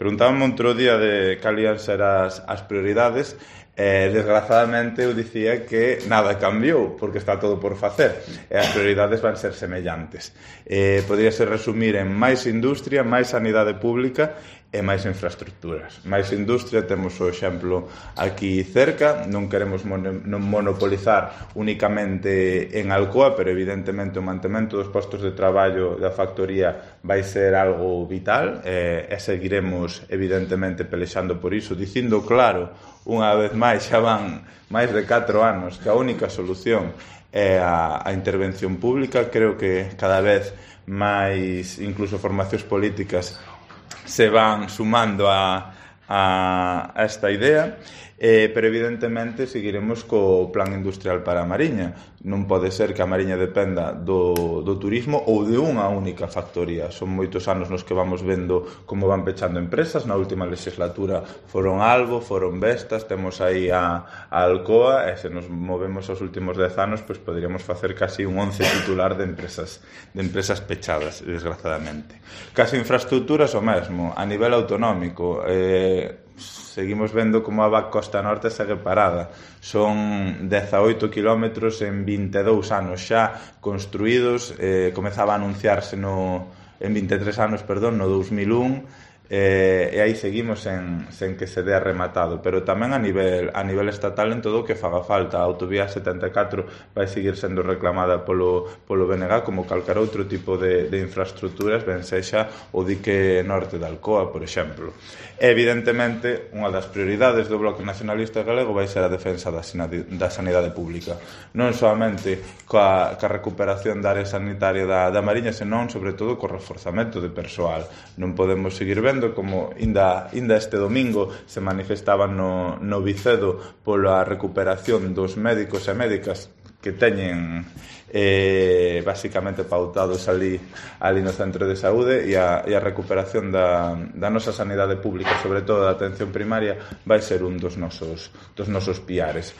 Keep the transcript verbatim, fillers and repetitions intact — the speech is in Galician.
Preguntábame outro día de cal ian ser as, as prioridades e, desgrazadamente, eu dicía que nada cambiou, porque está todo por facer, e as prioridades van ser semellantes. Eh, podríase resumir en máis industria, máis sanidade pública e máis infraestructuras. Máis industria, temos o exemplo aquí cerca, non queremos monopolizar únicamente en Alcoa, pero evidentemente o mantemento dos postos de traballo da factoría vai ser algo vital e, e seguiremos evidentemente pelexando por iso, dicindo claro, unha vez máis, xa van máis de catro anos que a única solución é a, a intervención pública. Creo que cada vez máis incluso formacións políticas se van sumando a, a, a esta idea, eh, pero evidentemente seguiremos co plan industrial para a Mariña. Non pode ser que a Mariña dependa do, do turismo ou de unha única factoría. Son moitos anos nos que vamos vendo como van pechando empresas. Na última legislatura foron Albo, foron Vestas, temos aí a, a Alcoa, e se nos movemos aos últimos dez anos, pois poderíamos facer casi un once titular de empresas de empresas pechadas, desgrazadamente. Case infraestructuras o mesmo, a nivel autonómico. Eh, seguimos vendo como a V A C Costa Norte segue parada. Son dezaoito kilómetros en vinte e dous anos xa construídos, eh, comezaba a anunciarse no, en vinte e tres anos, perdón, no dous mil un, eh, e aí seguimos sen, sen que se dea rematado, pero tamén a nivel a nivel estatal en todo o que faga falta. A autovía setenta e catro vai seguir sendo reclamada polo, polo B N G como calquer outro tipo de, de infraestructuras, ben sexa o dique norte de Alcoa, por exemplo. E, evidentemente, unha das prioridades do Bloque Nacionalista Galego vai ser a defensa da, da sanidade pública, non solamente coa, coa recuperación da área sanitaria da, da Mariña, senón, sobre todo, co reforzamento de persoal. Non podemos seguir vendo como inda, inda este domingo se manifestaban no, no Vicedo pola recuperación dos médicos e médicas que teñen eh, basicamente pautados ali, ali no centro de saúde, e a, e a recuperación da, da nosa sanidade pública, sobre todo da atención primaria, vai ser un dos nosos, dos nosos piares.